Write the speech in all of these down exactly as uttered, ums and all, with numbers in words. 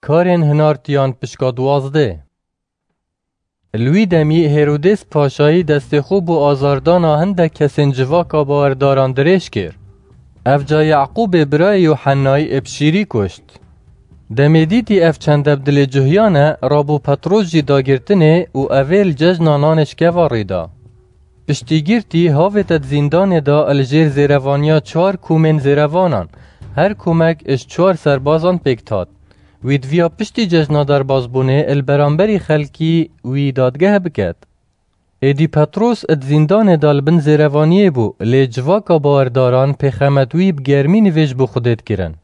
Karên hinartiyan pişka duwazdeh. Li wî demî Hêrodês Paşayî destê xwe bo azardana hindek kesên civaka bawerdaran dirêj kir. Evca Yaqûbê birayê Yuhennayî ê bi şîrî kuşt. Demê dîtî ev çende bi dilê cuhiyane, rabû Petros jî dagirtinê û evê li cejna nanê şkeva rê da. Piştî girtî havête di zîndanê de li jêr zêrevaniya çar komên zêrevanan, her komek ji çar serbazan pêk dihat. Wî diviya piştî cejna derbazbûnê li beramberî xelkî wî dadgeh biket. Êdî Petros di zîndanê de li bin zêrevaniyê bû, lê civaka bawerdaran pêxemet wî bi germî nivêj bo Xwedê dikirin.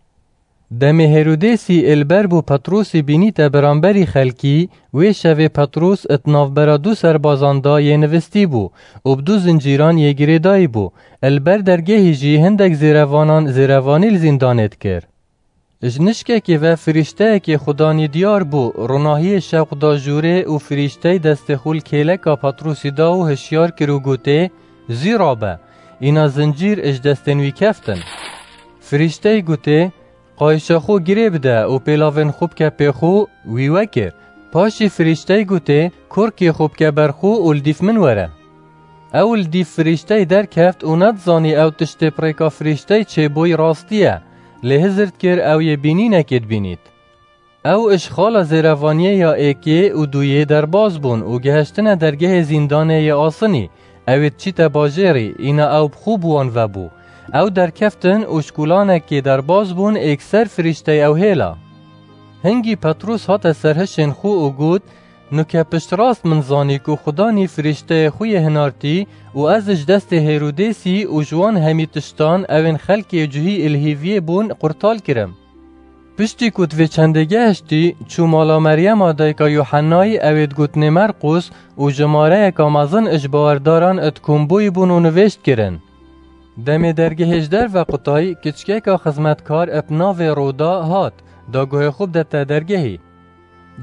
Demê Hêrodêsî ê li ber bo Petrosî bînîte beramberî xelkî, wê şevê Petros di navbera du serbazan de yê nivistî bû û bi du zincîran yê girêdayî bû. Li ber dergehî jî hindek zêrevanan zêrevanî li zîndanê dikir. Ji nişkekê ve firîşteyekê Xudanî diyar bû, ronahiyê şewq da jûrê û firîşteyî destê xwe li kêleka Petrosî da û hişyar kir û gotê, "Zî rabe." Îna zincîr ji destên wî keftin. Firîşteyî gotê, "Qayişa xwe girê bide û pêlavên xwe bike pê xwe." Wî wekir. Paşî firîşteyî gotê, "Kurkê xwe bike ber xwe û li dîf min were." Ew li dîf firîşteyî derkeft û nedizanî ew tiştê bi rêka firîşteyî çêbûyî rastî ye, lê hizir dikir ew yê bînînekê dibînît. Ew ji xala zêrevaniyê ya êkê û duyê derbas bûn û gihiştine dergehê zîndanê yê asinî, ew ê diçîte bajêrî, îna ew bi xwe bi wan ve bû. Ew derkeftin û ji kolanekê derbas bûn, êkser firîşteyê ew hêla. Hingî Petrûs hate ser hişên xwe û got, "Nuke piştrast min zanî ku Xudanî firîşteyê xwe yê hinartî û ez ji destê Hêrodêsî û ji wan hemî tiştan ewên xelkê cihî ê li hêviyê bûn qurtal kirim." Piştî ku di vê çendê gehiştî, çû mala Meryema dayika Yuhennayî, ew ê digotinê Merqûs, û jimareyeka mezin ji bawerdaran di kombûyî bûn û nivêj dikirin. Demê dergehê ji derve qutayî, kiçikeka xizmetkar bi navê Roda hat, da guhê xwe bidete dergehî.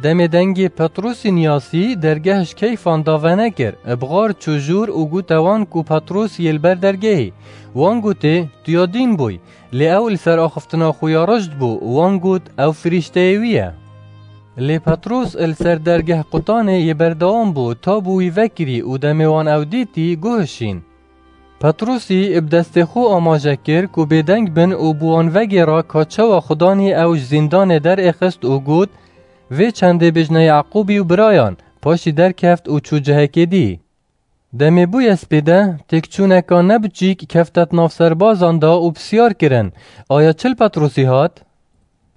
Demê dengê Petrûsî niyasî, dergeh ji keyfan da venekir, bi xar çû jûr û gote wan ku Petrûs yê li ber dergehî. Wan gotê, "Tu ya dîn bûy." Lê ew li ser axiftina xwe ya rijd bû û wan got, "Ew firîşteyê wî ye." Lê Petrûs li ser dergeh qutanê yê berdewam bû, ta bû wî vekirî û demê wan ew dîtî, guhişîn. Petrûsî bi destê xwe amaje kir ku bêdeng bin û bi wan vegêra ka çawa Xudanî ew ji zîndanê derêxist û got, "Vê çendê bêjne Yaqûbî û birayan." Paşî derkeft û çû cihekê dî. Demê bûye spêde, têkçûneka ne biçîk kefte di nav serbazan de û pisyar kirin, "Aya çi li Petrûsî hat?"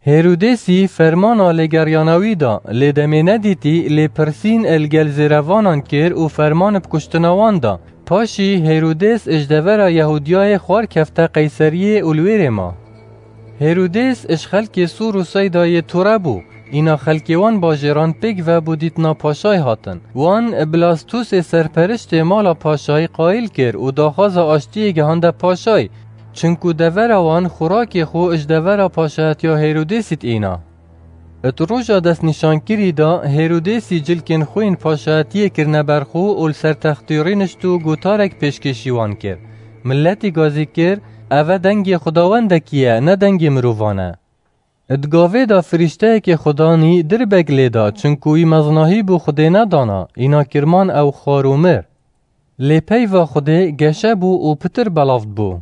Hêrodêsî fermana lêgeriyana wî da, lê demê nedîtî, lê pirsîn li gel zêrevanan kir û ferman bi kuştina wan da. Paşî Hêrodês ji devera Yehûdiyayê xwar kefte Qeyseriyê û li wêrê ma. Hêrodês ji xelkê Sûr û Seyda yê tore bû. Îna xelkê wan bajêran pêk ve bo dîtina paşayê hatin. Wan Blastûsê serperiştê mala paşayî qayîl kir û daxwaza aştiyê gihande paşayî, çinku devera wan xurakê xwe ji devera paşayetiya Hêrodêsî diîna. Di roja destnîşankirî de Hêrodêsî cilkên xwe yên paşayetiyê kirine ber xwe û li ser textî rûnişt û gotarek pêşkêşî wan kir. Miletî gazî kir, "Eve dengê xwedawendekî ye, ne dengê mirovan e." Di gavê de firîşteyekê Xudanî dirbek lê da, çinku wî mezinahî bo Xwedê nedana, îna kirman ew xwar û mir. Lê peyva Xwedê geşe bû û pitir belav dibû.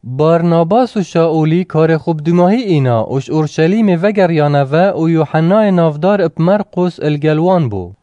Barnabas û Şaûlî karê xwe bi dûmahî îna û ji Orşelîmê vegeriyane ve û Yuhennayê navdar bi Merqûs li gel wan bû.